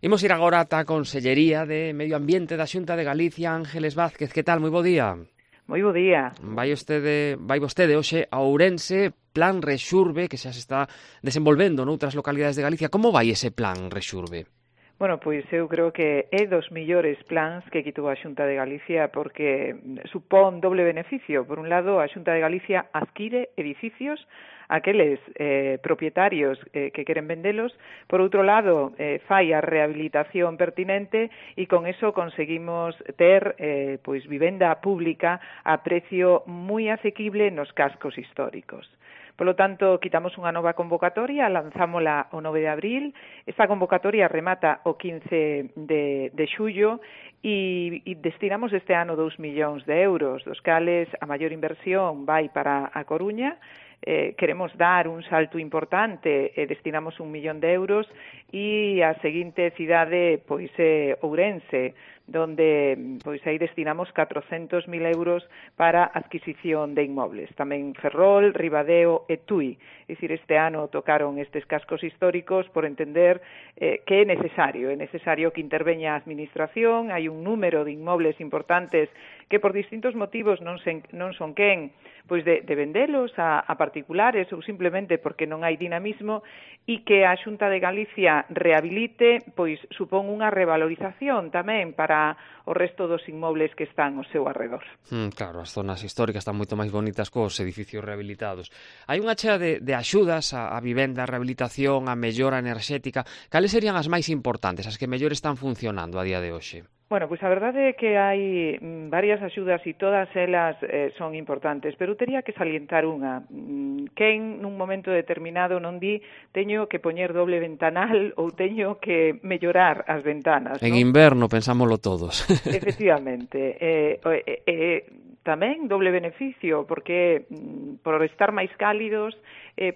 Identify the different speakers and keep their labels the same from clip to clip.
Speaker 1: Imos ir agora ata a Consellería de Medio Ambiente da Xunta de Galicia. Ángeles Vázquez, que tal? Moi bo día.
Speaker 2: Moi bo día.
Speaker 1: Vai vostede hoxe a Ourense, Plan Rexurbe, que xa se está desenvolvendo noutras localidades de Galicia. Como vai ese Plan Rexurbe?
Speaker 2: Bueno, pois eu creo que é dos millores plans que quitou a Xunta de Galicia porque supón doble beneficio. Por un lado, a Xunta de Galicia adquire edificios aqueles propietarios que queren vendelos. Por outro lado, fai a rehabilitación pertinente e con eso conseguimos ter pois vivenda pública a precio moi asequible nos cascos históricos. Polo tanto, quitamos unha nova convocatoria, lanzámola o 9 de abril. Esta convocatoria remata o 15 de xullo e destinamos este ano 2 millóns de euros, dos cales a maior inversión vai para a Coruña. Queremos dar un salto importante, destinamos 1 millón de euros e a seguinte cidade pois é Ourense, donde pois aí destinamos 400.000 euros para adquisición de inmobles. Tamén Ferrol, Ribadeo e Tui. É dicir, este ano tocaron estes cascos históricos por entender que é necesario que interveña a administración. Hai un número de inmobles importantes que por distintos motivos non son quen pois de vendelos a particulares ou simplemente porque non hai dinamismo, e que a Xunta de Galicia rehabilite, pois supón unha revalorización tamén para o resto dos inmobles que están ao seu arredor.
Speaker 1: Claro, as zonas históricas están moito máis bonitas cos edificios rehabilitados. Hai unha chea de axudas a vivenda, a rehabilitación, a mellora enerxética. Cales serían as máis importantes, as que mellor están funcionando a día de hoxe?
Speaker 2: Bueno, pois a verdade é que hai varias axudas e todas elas son importantes, pero tería que salientar unha. Quen nun momento determinado non di teño que poñer doble ventanal ou teño que mellorar as ventanas,
Speaker 1: En
Speaker 2: non?
Speaker 1: inverno pensámoslo todos.
Speaker 2: Efectivamente. Tamén doble beneficio, porque por estar máis cálidos,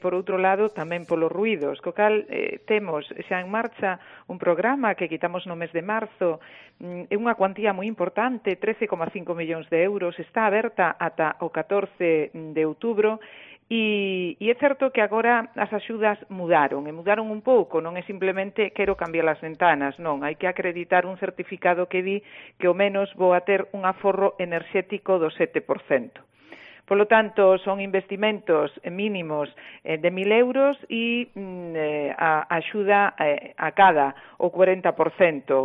Speaker 2: por outro lado, tamén polos ruidos. Co cal, temos xa en marcha un programa que quitamos no mes de marzo, é unha cuantía moi importante, 13,5 millóns de euros, está aberta ata o 14 de outubro, e é certo que agora as axudas mudaron un pouco, non é simplemente quero cambiar as ventanas, non, hai que acreditar un certificado que di que ao menos vou a ter un aforro enerxético do 7%. Polo tanto, son investimentos mínimos de 1.000 euros e a axuda a cada o 40%,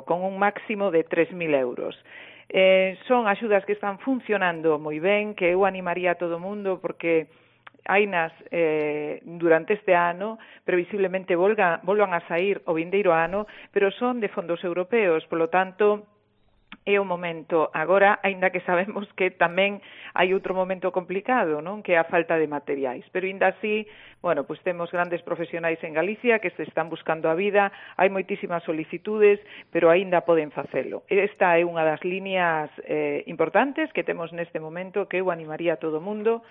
Speaker 2: con un máximo de 3.000 euros. Son axudas que están funcionando moi ben, que eu animaría a todo o mundo porque hainas durante este ano, previsiblemente volvan a sair o vindeiro ano, pero son de fondos europeos, polo tanto é o momento agora, aínda que sabemos que tamén hai outro momento complicado, non? Que é a falta de materiais, pero aínda así, bueno, pois temos grandes profesionais en Galicia que se están buscando a vida, hai moitísimas solicitudes, pero aínda poden facelo. Esta é unha das líneas importantes que temos neste momento, que eu animaría a todo o mundo.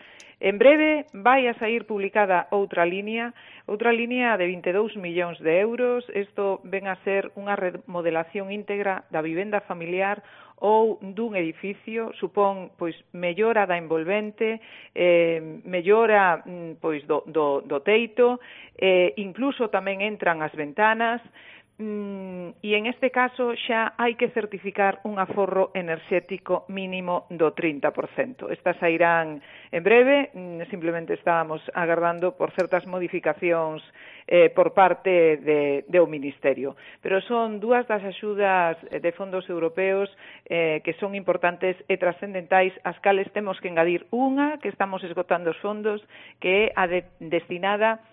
Speaker 2: En breve vai a sair publicada outra línea de 22 millóns de euros. Isto ven a ser unha remodelación íntegra da vivenda familiar ou dun edificio, supón pois mellora da envolvente, mellora pois do teito, incluso tamén entran as ventanas. E en este caso xa hai que certificar un aforro enerxético mínimo do 30%. Estas sairán en breve, simplemente estábamos agardando por certas modificacións por parte do Ministerio. Pero son dúas das axudas de fondos europeos que son importantes e trascendentais, as cales temos que engadir unha, que estamos esgotando os fondos, que é a destinada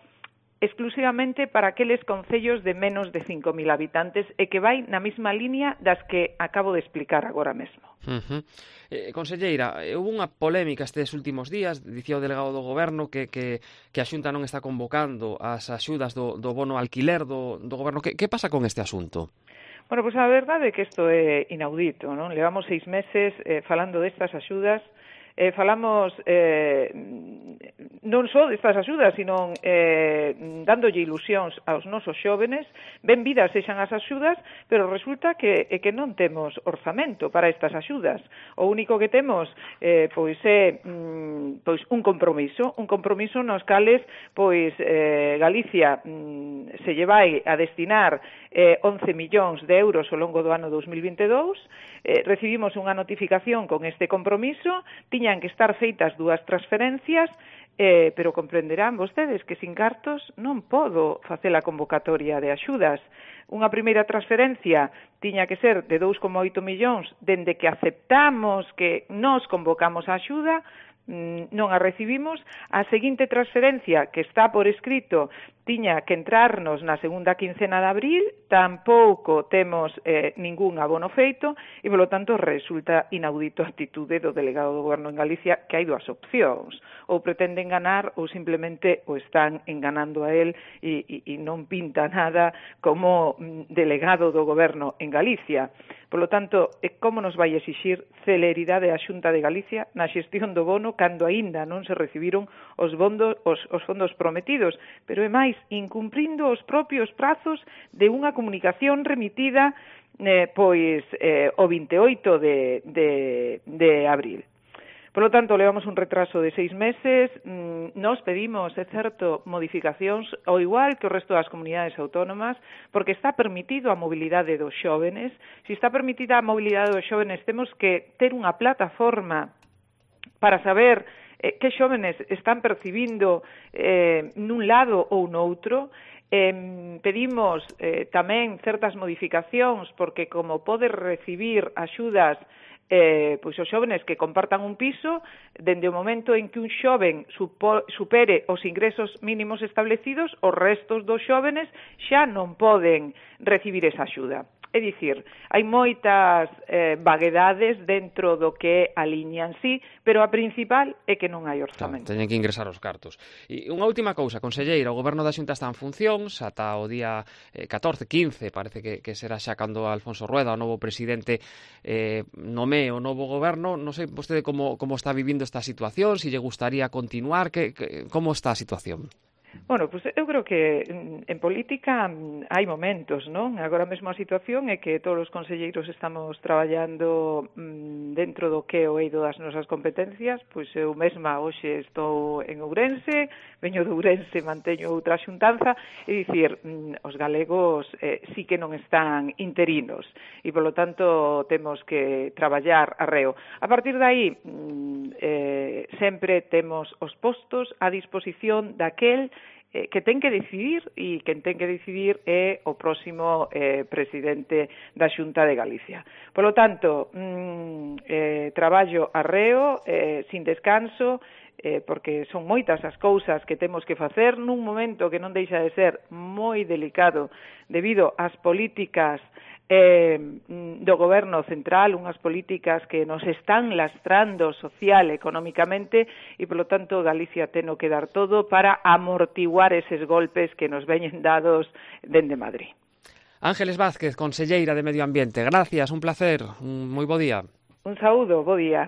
Speaker 2: exclusivamente para aqueles concellos de menos de 5.000 habitantes e que vai na mesma línea das que acabo de explicar agora mesmo.
Speaker 1: Conselleira, houve unha polémica estes últimos días, dicía o delegado do Goberno que a Xunta non está convocando as axudas do bono alquiler do Goberno. Que pasa con este asunto?
Speaker 2: Bueno, pois a verdade é que isto é inaudito, non? Levamos 6 meses falando destas axudas. falamos non só destas axudas, sino dándolle ilusións aos nosos xóvenes, benvidas sexan as axudas, pero resulta que non temos orzamento para estas axudas. O único que temos pois é un compromiso nos cales pois Galicia se lle vai a destinar 11 millóns de euros ao longo do ano 2022. Recibimos unha notificación con este compromiso, tiñan que estar feitas 2 transferencias, pero comprenderán vostedes que sin cartos non podo facer a convocatoria de axudas. Unha primeira transferencia tiña que ser de 2,8 millóns dende que aceptamos que nos convocamos a axuda, non a recibimos. A seguinte transferencia, que está por escrito, tiña que entrarnos na segunda quincena de abril, tampouco temos ningún abono feito e, polo tanto, resulta inaudito a actitude do delegado do Goberno en Galicia, que hai 2 opcións: ou pretende enganar ou simplemente o están enganando a él e non pinta nada como delegado do Goberno en Galicia. Polo tanto, como nos vai exixir celeridade a Xunta de Galicia na xestión do bono cando aínda non se recibiron os fondos prometidos, pero é máis, incumprindo os propios prazos de unha comunicación remitida o 28 de abril. Por lo tanto, levamos un retraso de 6 meses. Nos pedimos, é certo, modificacións ao igual que o resto das comunidades autónomas, porque está permitido a mobilidade dos xóvenes. Se está permitida a mobilidade dos xóvenes, temos que ter unha plataforma para saber que xóvenes están percibindo nun lado ou noutro. Pedimos tamén certas modificacións, porque como pode recibir axudas pois os xóvenes que compartan un piso, dende o momento en que un xoven supere os ingresos mínimos establecidos, os restos dos xóvenes xa non poden recibir esa axuda. É dicir, hai moitas vaguedades dentro do que é a liña en sí, pero a principal é que non hai orzamento.
Speaker 1: Teñen que ingresar os cartos. E unha última cousa, conselleira, o Goberno da Xunta está en funcións ata o día 14, 15, parece que será xa cando Alfonso Rueda, o novo presidente, nomee o novo Goberno. Non sei vostede como está vivindo esta situación, se lle gustaría continuar, como está a situación?
Speaker 2: Bueno, pues eu creo que en política hai momentos, non? Agora mesmo a situación é que todos os conselleiros estamos traballando dentro do que é o eido das nosas competencias. Pois eu mesma hoxe estou en Ourense, veño de Ourense, manteño outra xuntanza, é dicir, os galegos sí que non están interinos e, polo tanto, temos que traballar arreo. A partir de aí, sempre temos os postos a disposición daquel que ten que decidir, e quen ten que decidir é o próximo presidente da Xunta de Galicia. Por lo tanto, traballo arreo, sin descanso, porque son moitas as cousas que temos que facer nun momento que non deixa de ser moi delicado debido ás políticas do Goberno central, unhas políticas que nos están lastrando social e económicamente, e, polo tanto, Galicia ten que dar todo para amortiguar eses golpes que nos veñen dados dende Madrid.
Speaker 1: Ángeles Vázquez, conselleira de Medio Ambiente, gracias, un placer, un moi bo día.
Speaker 2: Un saúdo, bo día.